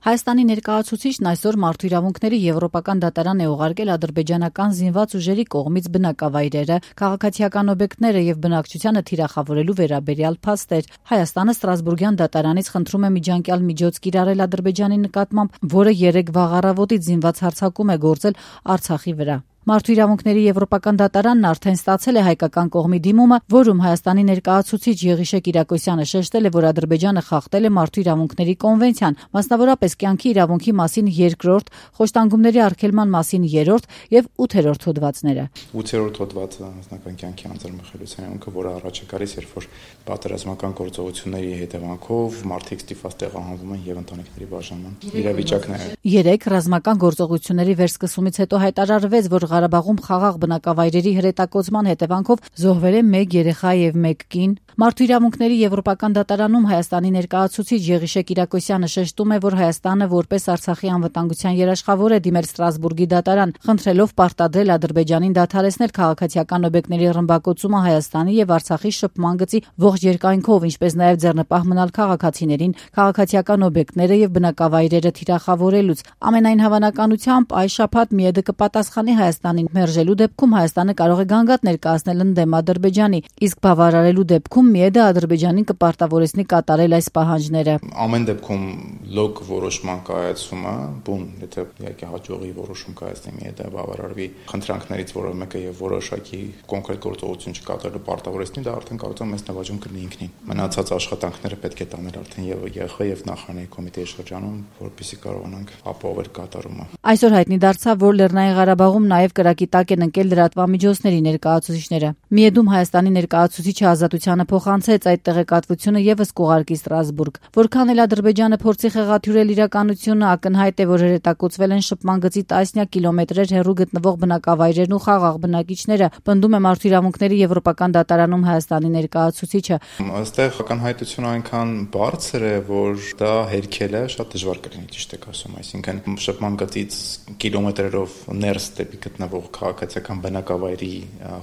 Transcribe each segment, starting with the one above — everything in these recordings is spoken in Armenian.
Հայաստանի ներկայացուցիչն այսօր մարդու իրավունքների եվրոպական դատարան է ուղարկել ադրբեջանական զինված ուժերի կողմից բնակավայրերը, քաղաքացիական օբյեկտները եւ բնակչությանը թիրախավորելու վերաբերյալ փաստեր։ Հայաստանը Ստրասբուրգյան դատարանից խնդրում է միջանկյալ միջոց կիրառել Ադրբեջանի նկատմամբ, որը 3 վաղ առավոտից զինված հարձակում է գործել Արցախի վրա։ Մարդու իրավունքների եվրոպական դատարանն արդեն ստացել է հայկական կողմի դիմումը, որում Հայաստանի ներկայացուցիչ Եղիշե Կիրակոսյանը շեշտել է, որ Ադրբեջանը խախտել է մարդու իրավունքների կոնվենցիան, մասնավորապես կյանքի իրավունքի մասին 2-րդ, խոշտանգումների արգելման մասին 3-րդ եւ 8-րդ հոդվածները։ 8-րդ հոդվածը անձնական կյանքի անձնամխելիության իրավունքը, որը առաջ է գալիս, երբ որ պատերազմական գործողությունների հետևանքով մարդիկ ստիպված տեղահանվում են եւ ընտանիքների բաժանման իրավիճակներ։ 3 ռազմական գործողությունների վերսկսումից հետո հայտարարվեց, որ Ղարաբաղում խաղաղ բնակավայրերի հրետակոծման հետևանքով զոհվել է 1 երեխա եւ 1 կին։ Մարդու իրավունքների եվրոպական դատարանում Հայաստանի ներկայացուցիչ Եղիշե Կիրակոսյանը շեշտում է, որ Հայաստանը որպես Արցախի անվտանգության երաշխավոր է դիմել Ստրասբուրգի դատարան, խնդրելով պարտադրել Ադրբեջանին դադարեցնել քաղաքացիական օբյեկտների ռմբակոծումը Հայաստանի եւ Արցախի շփման գծի ողջ երկայնքով, ինչպես նաեւ ձեռնպահ մնալ քաղաքացիներին, քաղաքացիական օբյեկտները եւ բնակավայրերը թիրախավորելուց։ Ամենայն հավանականությամբ այս շաբաթ ՄԻԵԴ կպատասխանի Հայաստանին մերժելու դեպքում Հայաստանը կարող է գանգատ ներկայացնել ընդդեմ Ադրբեջանի, իսկ բավարարելու դեպքում ՄԻԵԴ Ադրբեջանին կպարտավորեցնի կատարել այս պահանջները։ Ամեն դեպքում լոկ որոշման կայացումը, բուն, եթե իհարկե հաջողի որոշում կայացնի ՄԻԵԴ բավարարվի խնդրանքներից որևէ մեկը եւ որոշակի կոնկրետ գործողություն չկատարելու պարտավորեցնի, դա արդեն կարող է մեծ նվաճում կրնի ինքնին։ Մնացած աշխատանքները պետք է տանել արդեն եւ ԵԽ եւ նախարարի կոմիտեի շրջանում, որպեսզի կարողանանք ապահովել կատարումը։ Այսօր հայտնի դարձավ, որ Լեռնային Ղարաբաղում նաեւ կրակի տակ են ընկել լրատվամիջոցների ներկայացուցիչները։ ՄԻԵԴ-ում Հայաստանի ներկայացուցիչը ազատությանը փոխանցեց այդ տեղեկատվությունը եւս կուղարկի Ստրասբուրգ։ Որքան էլ Ադրբեջանը փորձի խեղաթյուրել իրականությունը, ակնհայտ է, որ հրետակոծվել են շփման գծի տասնյակ կիլոմետրեր հեռու գտնվող բնակավայրերն ու խաղաղ բնակիչները, պնդում է մարդու իրավունքների եվրոպական դատարանում Հայաստանի ներկայացուցիչը։ Այստեղ ակնհայտությունը այնքան բարձր է, որ դա հերքելը շատ դժվար կլինի, ճիշտ եք ասում, այսինքն շփման գծից կիլոմետրերով ներս դեպի գտնվող քաղաքացիական բնակավայրի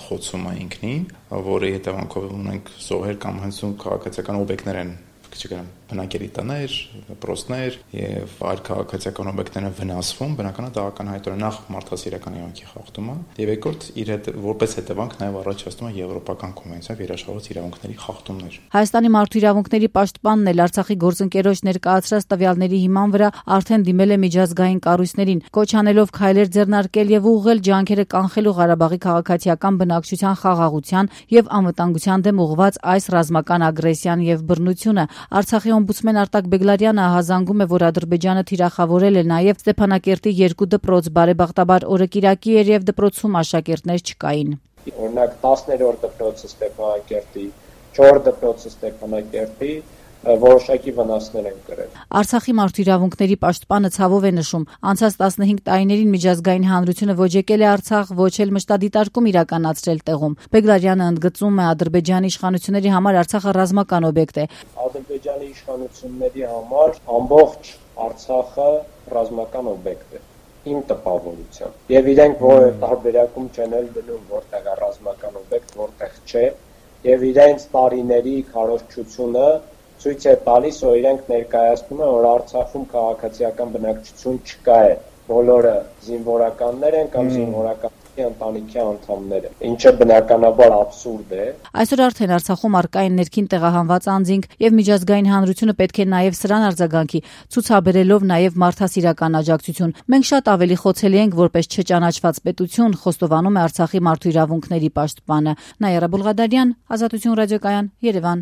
խոցումը ինքնին, որի հետևանքով ունենք զոհեր կամ հենց քաղաքացիական օբյեկտներ են, չգիտեմ, բնակելի տներ, պրոստներ եւ այլ քաղաքացիական օբյեկտներ են վնասվում, բնականաբար դա ակնհայտորեն նախ մարդասիրական իրավունքի խախտումը եւ երկրորդ իր հետ որպես հետևանք նաեւ առաջացնում է եվրոպական կոնվենցիայով երաշխավորած իրավունքների խախտումներ։ Հայաստանի մարդու իրավունքների պաշտպանն էլ Արցախի գործընկերոջ ներկայացրած տվյալների հիման վրա արդեն դիմել է միջազգային կառույցներին, կոչ անելով քայլեր ձեռնարկել եւ ուղղել ջանքերը կանխելու Ղարաբաղի քաղաքացիական բնակչության խաղաղության եւ անվտանգության դեմ ուղղված այս ռազմական ագրեսիան եւ բռնությունը։ Արցախի օմբուդսմեն Արտակ Բեգլարյանը հազանգում է, որ Ադրբեջանը թիրախավորել է նաև Ստեփանակերտի 2 դպրոց, բարեբախտաբար օրը կիրակի էր եւ դպրոցում աշակերտներ չկային։ Օրինակ 10-րդ դպրոցը Ստեփանակերտի, 4 դպրոցը Ստեփանակերտի որոշակի վնասներ են կրել։ Արցախի մարդու իրավունքների պաշտպանը ցավով է նշում, անցած 15 տարիներին միջազգային հանրությունը ոչ եկել է Արցախ, ոչ էլ մշտադիտարկում իրականացրել տեղում։ Բեգլարյանը ընդգծում է, Ադրբեջանի իշխանությունների համար Արցախը ռազմական օբյեկտ է։ Ադրբեջանի իշխանությունների համար ամբողջ Արցախը ռազմական օբյեկտ է։ Իմ տպավորությամբ։ Եվ իրենք որևէ տարբերակում չեն դնում, որտեղ է ռազմական օբյեկտ, որտեղ չէ, եւ իրենց տարիների քարոզչությունը ցույց է տալիս, որ իրենք ներկայացնում են, որ Արցախում քաղաքացիական բնակչություն չկա է, բոլորը զինվորականներ են կամ զինվորականների ընտանիքի անդամներ են, ինչը բնականաբար աբսուրդ է։ Այսօր արդեն Արցախում առկա են ներքին տեղահանված անձինք եւ միջազգային հանրությունը պետք է նաեւ սրան արձագանքի, ցուցաբերելով նաեւ մարդասիրական աջակցություն։ Մենք շատ ավելի խոցելի ենք որպես չճանաչված պետություն, խոստովանում է Արցախի մարդու իրավունքների պաշտպանը։ Նաիրա Բուլղադարյան, Ազատություն ռադիոկայան, Երևան։